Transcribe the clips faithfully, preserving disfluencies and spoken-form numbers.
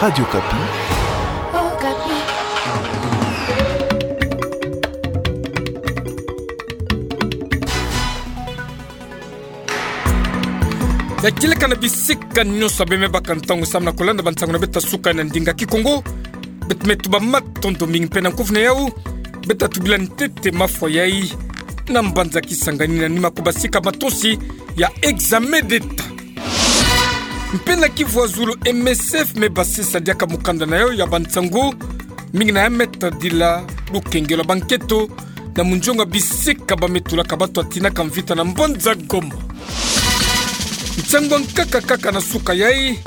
Radio Okapi. Ya kieleka na bisika nyonso abe mebaka ntangu samu na kulanda bansangu na beto ya suka na ndinga Kikongo. Beto me tuba matondo mingi mpe na nkufi na yau. Beto tubila ntete mafwa yai na mbanza Kisangani na nima kubasika matonsi ya examen d'État. Mpe na Kivu ya zulu, M S F me basisa diaka mukanda na yau ya bansangu mingi na ya me tadila lukengelo ya banketo na munzonga bisika ba me tulaka bato ya tinaka mvita na mbanza Goma. Nsangu ya nkaka kaka na suka yai,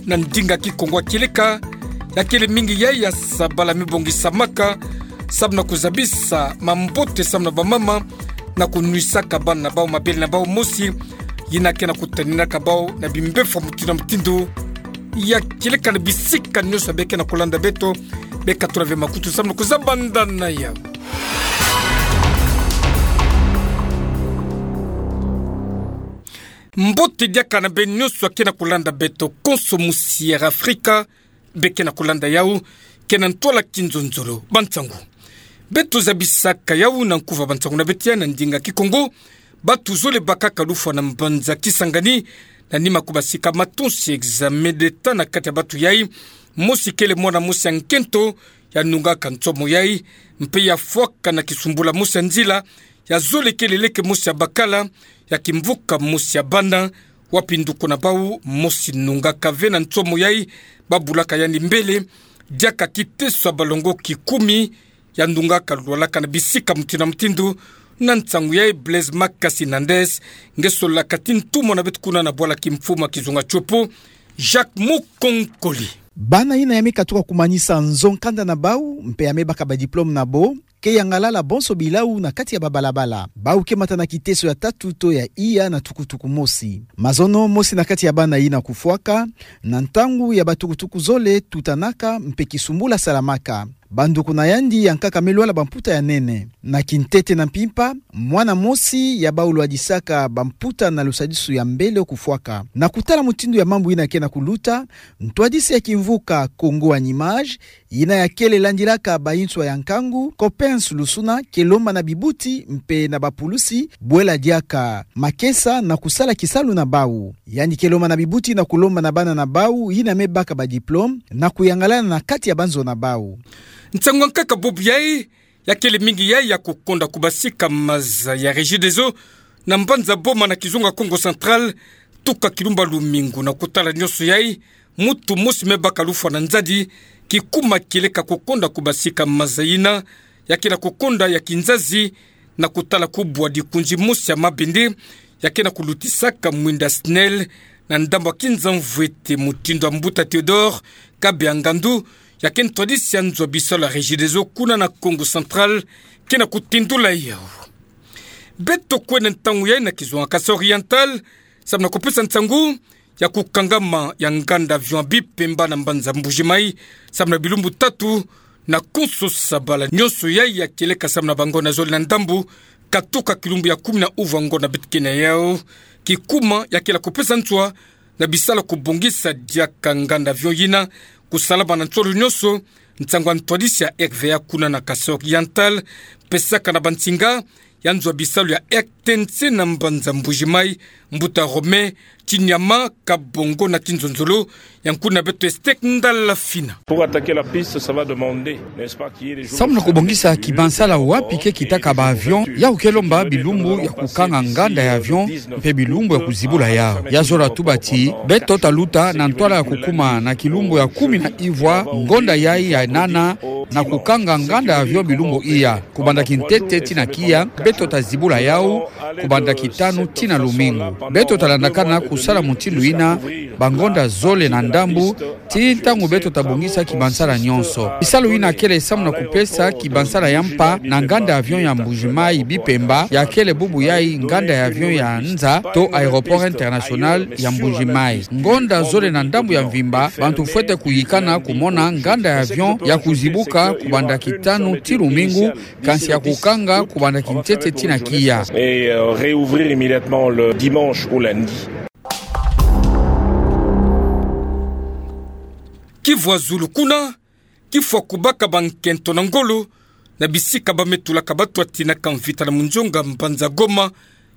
na ndinga Kikongo ya kieleka, ya kele mingi yai ya sabala me bongisamaka samu na kuzabisa mambote samu na bamama na kunwisaka bana na bau mabele na bau mosi, yina ke na kutaninaka bau na bimbefwa mutindu na mutindu. Ya kieleka na bisika nyonso abe ke na kulanda beto, be katula ve makutu samu na kuzabanda na yau. Mbote diaka na beno nyonso ya ke na kulanda beto konso musi ya Afrika, be ke na kulanda yau, ke na ntwala kinzonzolo. Bansangu beto zabisaka yau na nkufi ya bansangu na beto ya na ndinga Kikongo. Bato zole bakaka lufwa na mbanza Kisangani na nima kubasika matonsi examen d'État. Na kati ya bato yai, mosi kele mwana mosi ya nkento ya nungaka nsomo yai, mpe ya fwaka na kisumbula mosi ya nzila, ya zole kele leke mosi ya bakala ya kimvuka mosi ya bana, wapi nduku na bau mosi nungaka ve na nsomo yai, ba bulaka yandi mbele, diaka kiteso ya balongo kikumi, ya nungaka lwalaka na bisika mutindu na mutindu. Na nsangu yai, Blaise Makasi Nandes, nge solaka ti ntumwa na beto kuna na bwala kimfumu ya kizunga tiopo, Jacques Mukonkole. Bana yina ya me katuka kumanisa nzo nkanda na bau, mpe ya me baka badiplome na bo, ke yangalala bonso bilau na kati ya babalabala. Bau ke mata na kiteso ya tatu to ya iya na tukutuku mosi. Mazono, mosi na kati ya bana yina kufwaka, na ntangu ya batukutuku zole tutanaka mpe kisumbula salamaka. Banduku na yandi ya nkaka me lwala bamputa ya nene. Na kintete na mpimpa, mwana mosi ya bau lwadisaka bamputa na lusadisu ya mbele kufwaka. Na kutala mutindu ya mambu yina ke na kuluta, ntwadisi ya kimvuka Congo en Images, yina ya kele landilaka bayinswa ya nkangu, Coppens Lusuna, ke lomba na bibuti mpe na bapulusi bwela diaka makesa na kusala kisalu na bau. Yandi ke lomba na bibuti na kulomba na bana na bau yina me baka badiplome na kuyangalala na kati ya banzo na bau. Nsangu ya nkaka bubu yai, ya kele mingi yai ya kukonda kubasika maza ya Regideso na mbanza Boma na kizunga Kongo Central, tuka kilumbu ya lumingu. Na kutala nyonso yai, mutu mosi me baka lufwa na nzadi, kikuma kieleka kukonda kubasika maza yina, ya ke na kukonda ya kinzazi, na kutala kubwa dikunzi mosi ya mabende, ya ke na kulutisaka mwinda SNEL, na ndambu ya kinza mvwete. Mutindu ya mbuta Théodore Kabeya Ngandu, ya ke ntwadisi ya nzo ya bisalu ya Regideso kuna na Kongo Central, ke na kutindula yau. Beto kwenda ntangu yai na kizunga Kasaï Oriental, samu na kupesa nsangu ya kukangama ya nganda avion ya Bipemba na mbanza Mbuji-Mayi, samu na bilumbu tatu, na konso sabala nyonso yai ya kieleka samu na bangonda zole na ndambu, katuka kilumbu ya kumi na uvu ya ngonda beto ke na yau, kikuma ya kele kupesa nswa na bisalu ya kubongisa diaka nganda avion yina kusalama na nsolo nyonso. Nsangu ya ntwadisi ya R V A kuna na Kasaï Oriental, pesaka na bansinga ya nzo ya bisalu ya R T N C na mbanza Mbuji-Mayi, mbuta Romain Tshinyama Kabongo na kinzonzolo ya nkuna beto Estec Ndala Fina. Pour attaquer la piste, ça va demander, n'est-ce pas, qu'il y ait des jours de service. Samu na kubongisa kibansala wapi ke kitaka ba avion, ya ke lomba bilumbu ya kukanga nganda ya avion, mpe bilumbu ya kuzibula yau. Ya zola tuba ti, beto taluta na ntwala ya kukuma na kilumbu ya kumi na ivwa ngonda yai ya nana na kukanga nganda ya avion bilumbu iya. Kubanda kintete tii na kiya, beto tazibula yau kubanda kitanu tii na lumingu. Beto talandakana kusala mutindu yina bangonda zole na ndambu, tii ntangu beto tabongisa kibansala nyonso. Bisalu yina kele samu na kupesa kibansala ya mpa na nganda avion ya Mbuji-Mayi Bipemba, ya kele bubu yai nganda ya avion ya nza to aéroport international ya Mbuji-Mayi. Ngonda zole na ndambu ya mvimba, bantu fwete kuyikana kumona nganda ya avion ya kuzibuka kubanda kitanu tii lumingu, kansi ya kukanga kubanda kintete tii na kiya. Et, euh, réouvrir immédiatement le dimanche au lundi. Kivu Azulu kuna, kifwa kubaka bankento na ngolo na bisika bame tulaka batu ya tinaka mvita na munzunga mbanza Goma,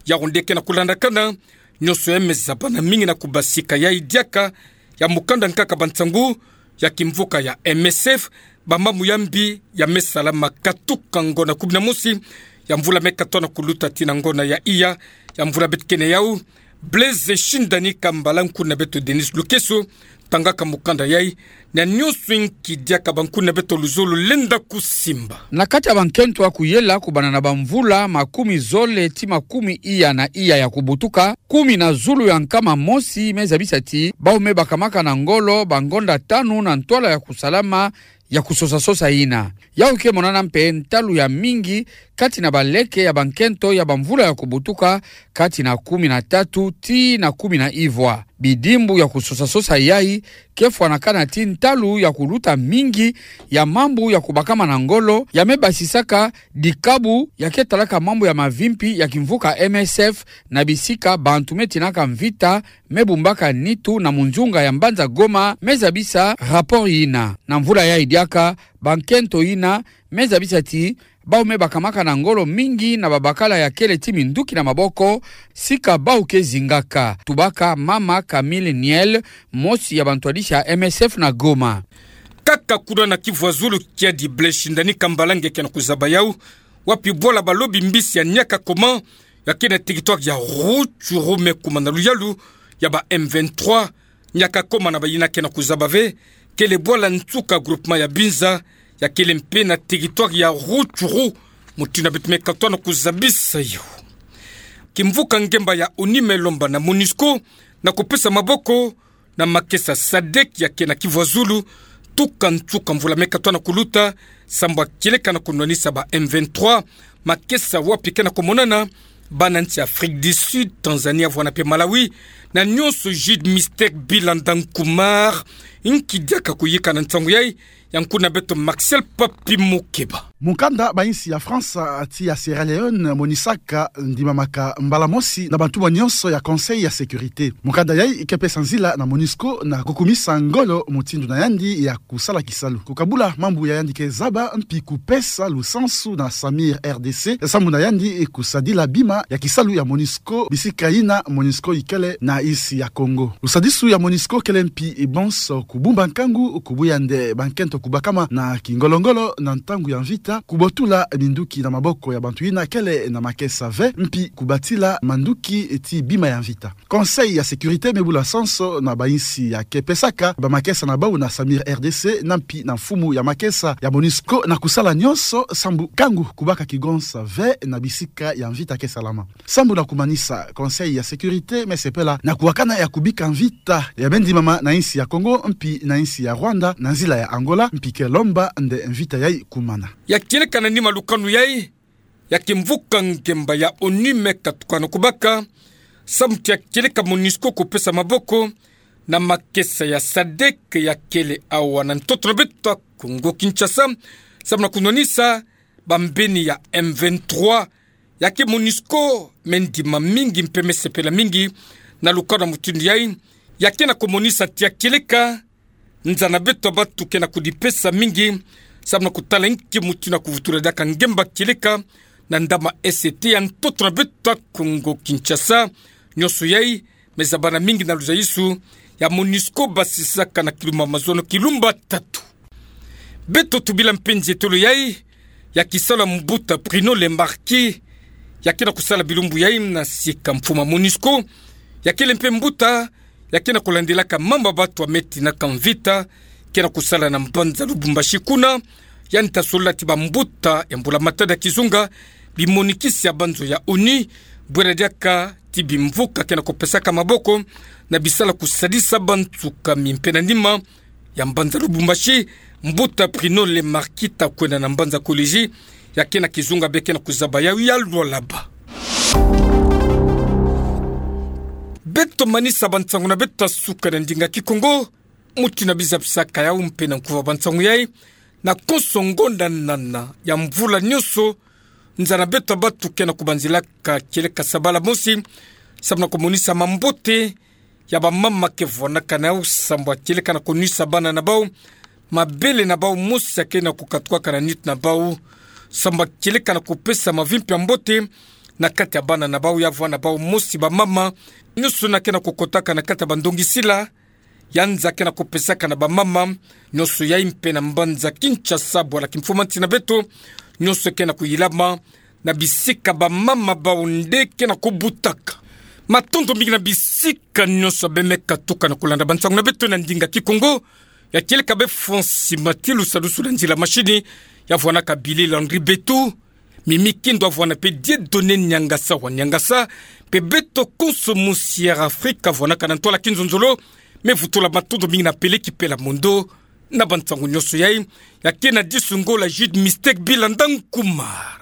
yao nde ke na kulandakana. Nionso ya me zabana mingi na kubasika yai diaka ya mukanda nkaka bansangu ya kimvuka ya M S F, bamambu ya mbi ya me salama katuka ngonda kumi na mosi ya mvula me katoa na kuluta tii na ngonda ya iya ya mvula beto ke na yau. Blaise Shindani Kambala, nkuna beto Denis Lukeso, tangaka mukanda yai, na nionso inki diaka bankuna beto luzolo lenda kusimba. Na kati ya bankento ya kuyela kubanda na bamvula makumi zole tii makumi iya na iya ya kubutuka, kumi na zulu ya nkama mosi me zabisa ti bau me bakamaka na ngolo bangonda tanu na ntwala ya kusalama ya kusosa-sosa yina. Yau ke monana mpe ntalu ya mingi kati na baleke ya bankento ya bamvula ya kubutuka, kati na kumi na tatu tii na kumi na ivwa. Bidimbu ya kusosa-sosa yai ke fwanakana ti ntalu ya kuluta mingi ya mambu ya kubakama na ngolo ya me basisaka dikabu ya ke talaka mambu ya mavimpi ya kimvuka M S F na bisika bantu me tinaka mvita me bumbaka nitu na munzunga ya mbanza Goma, me zabisa rapport yina. Na mvula yai diaka, bankento yina me zabisa ti bau me bakamaka na ngolo mingi na babakala ya kele ti minduki na maboko, sika bau ke zingaka. Tubaka mama Camille Niel, mosi ya bantwadisi ya M S F na Goma. Kaka kuna na Kivu Azulu, kiadi Blaise Shindani Kambala nge ke na kuzaba yau, wapi bwala balobi mbisi ya Niakakoma, ya ke na territoire ya Rutshuru, me kuma na luyalu ya ba M vingt-trois. Niakakoma na bayina ke na kuzaba ve, kele bwala nsuka groupement ya Binza, ya kele mpe na territoire ya Rutshuru, mutindu beto me katoa na kuzabisa yau. Kimvuka ngemba ya ONU me lomba na MONUSCO na kupesa maboko na makesa sadek ya ke na Kivu Azulu, tuka nsuka mvula me katoa na kuluta, sambu ya kieleka na kunwanisa ba M vingt-trois, makesa wapi ke na kumonana bana nsi Afrique du Sud, Tanzania, vwala mpe Malawi, na nionso Jude Mister Bilanda Nkumar, inki diaka kuyika na nsangu yai, ya nkuna beto Marcel Papi Mukeba. Mukanda bainsi ya France tii ya Sierra Leone monisaka ndimamaka mbala mosi na bantumwa nionso ya Conseil ya Sécurité. Mukanda yai ke pesa nzila na MONUSCO na kukumisa ngolo mutindu na yandi ya kusala kisalu, kukabula mambu ya yandi ke zaba mpi kupesa lusansu na Samir R D C, sambu na yandi kusadila bima ya kisalu ya MONUSCO bisika yina MONUSCO ikele na insi ya Congo. Lusadisu ya MONUSCO kele mpi bonso kubumba nkangu, kubuya nde bankento kubakama na kingolo-ngolo na ntangu ya mvita, kubotula minduki na maboko ya bantu yina kele na makesa ve, mpi kubatila manduki tii bima ya mvita. Conseil ya Sécurité me bula sanso na bainsi ya ke pesaka bamakesa na bau na Samir R D C, na mpi na mfumu ya makesa ya MONUSCO, na kusala nionso sambu nkangu kubaka kigonsa ve na bisika ya mvita ke salama. Sambu na kumanisa, Conseil ya Sécurité me sepela na kuwakana ya kubika mvita ya me ndimama na insi ya Congo mpi na insi ya Rwanda na nzila ya Angola, mpi ke lomba nde mvita yai kumana. Ya kieleka na nima lukanu yai, ya kimvuka ngemba ya ONU me katuka na kubaka, sambu ti ya kieleka MONUSCO kupesa maboko na makesa ya sadek ya kele awa na ntoto na beto ya Congo Kinshasa, sambu na kunwanisa bambeni ya M vingt-trois. Ya ke MONUSCO me ndima mingi mpe me sepela mingi na lukanu mutindu yai, ya ke na kumonisa ti ya kieleka nza na beto ya batu ke na kudipesa mingi, sambu na kutala inki mutindu ya kuvutula diaka ngemba kieleka na ndama S T ya ntoto na beto ya Congo Kinshasa. Nionso yai me zabana mingi na luzaisu ya MONUSCO basisaka na kilumba mazono kilumba tatu. Beto tubila mpe nzietolo yai ya kisalu ya mbuta Bruno Le Marquis, ya ke na kusala bilumbu yai na sika mfumu ya MONUSCO, ya kele mpe mbuta ya ke na kulandilaka mambu ya batu ya me tinaka mvita, ke na kusala na mbanza Lubumbashi kuna. Yandi ta solola ti bambuta ya mbula-matadi ya kizunga, bimonikisi ya banzo ya ONU, bwela diaka ti bimvuka ke na kupesaka maboko na bisalu ya kusadisa bansuka mi mpe na nima ya mbanza Lubumbashi, mbuta Bruno Le Marquis ta kwenda na mbanza Kolwezi, ya ke na kizunga bie ke na kuzaba yau ya Lualaba. Beto manisa bansangu na beto ya suka na ndinga Kikongo, mutindu na bizapisaka yau mpe na nkuva bansangu yai, na konso ngonda nana ya mvula nionso, nza na beto ya batu ke na kubanzilaka kieleka sabala mosi, sambu na kumonisa mambote ya bamama ke vwanakana yau, sambwa kieleka na konuisa bana na bau, mabele na bau mosi ya kena ko katuaka na nitu na bau, sambwa kieleka na kopesa mavimpi ya mbote na kati ya bana na bau, ya vwa na bau mosi bamama nyonso na kena ko kotaka na kati ya bandongisila, ya nza kena ko pesaka na bamama nyonso yai mpe na mbanza Kinshasa, bwala kimfumanti na beto nyonso kena ko yilama, na bisika bamama bau nde kena ko butaka. Matondo mingi na bisika nyonso beno me katuka na kolanda bansangu na beto na ndinga Kikongo. Ya kieleka bie Francis Matilu, salusu na nzila mashini, ya vwanaka Billy Landry Betu, Mimi Kindu avwana mpe Dieudonné Niangasa wa Niangasa, mpe beto konso mu Sierra Africa vwanaka na ntwala kinzonzolo. Me vutula matondo mingi na Pele Kipela Mondo na bansangu nyonso yai. Ya kena disu ngola Jude Mistake Bilanda Nkuma.